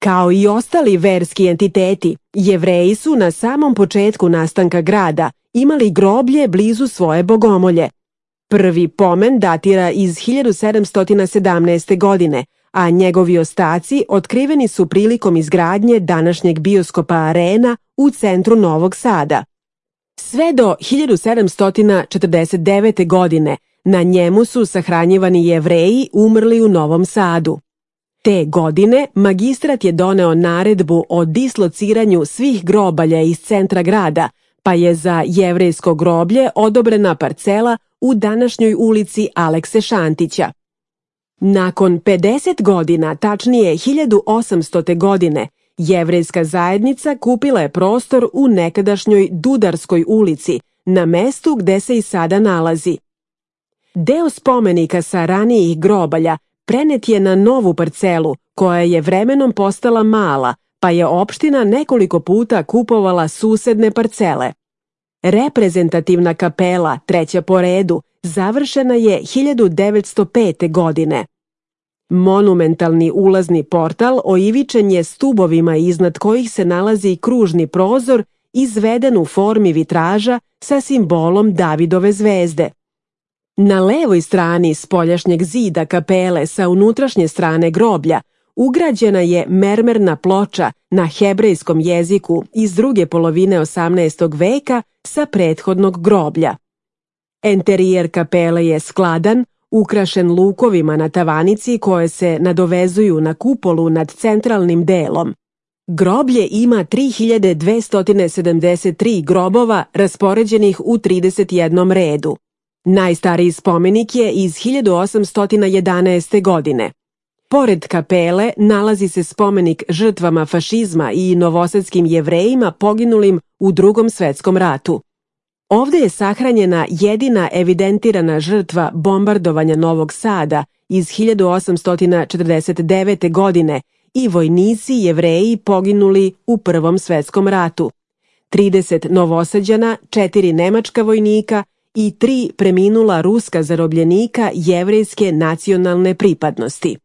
Kao i ostali verski entiteti, Jevreji su na samom početku nastanka grada imali groblje blizu svoje bogomolje. Prvi pomen datira iz 1717. godine, a njegovi ostaci otkriveni su prilikom izgradnje današnjeg bioskopa Arena u centru Novog Sada. Sve do 1749. godine na njemu su sahranjivani Jevreji umrli u Novom Sadu. Te godine magistrat je doneo naredbu o dislociranju svih grobalja iz centra grada, pa je za jevrejsko groblje odobrena parcela u današnjoj ulici Alekse Šantića. Nakon 50 godina, tačnije 1800. godine, jevrejska zajednica kupila je prostor u nekadašnjoj Dudarskoj ulici, na mestu gde se i sada nalazi. Deo spomenika sa ranijih grobalja prenet je na novu parcelu, koja je vremenom postala mala, pa je opština nekoliko puta kupovala susedne parcele. Reprezentativna kapela, treća po redu, završena je 1905. godine. Monumentalni ulazni portal oivičen je stubovima iznad kojih se nalazi kružni prozor izveden u formi vitraža sa simbolom Davidove zvezde. Na levoj strani spoljašnjeg zida kapele sa unutrašnje strane groblja ugrađena je mermerna ploča na hebrejskom jeziku iz druge polovine 18. veka sa prethodnog groblja. Enterijer kapele je skladan, ukrašen lukovima na tavanici koje se nadovezuju na kupolu nad centralnim delom. Groblje ima 3273 grobova raspoređenih u 31 redu. Najstariji spomenik je iz 1811. godine. Pored kapele nalazi se spomenik žrtvama fašizma i novosadskim Jevrejima poginulim u Drugom svetskom ratu. Ovde je sahranjena jedina evidentirana žrtva bombardovanja Novog Sada iz 1849. godine i vojnici Jevreji poginuli u Prvom svetskom ratu. 30 Novosađana, 4 nemačka vojnika i 3 preminula ruska zarobljenika jevrejske nacionalne pripadnosti.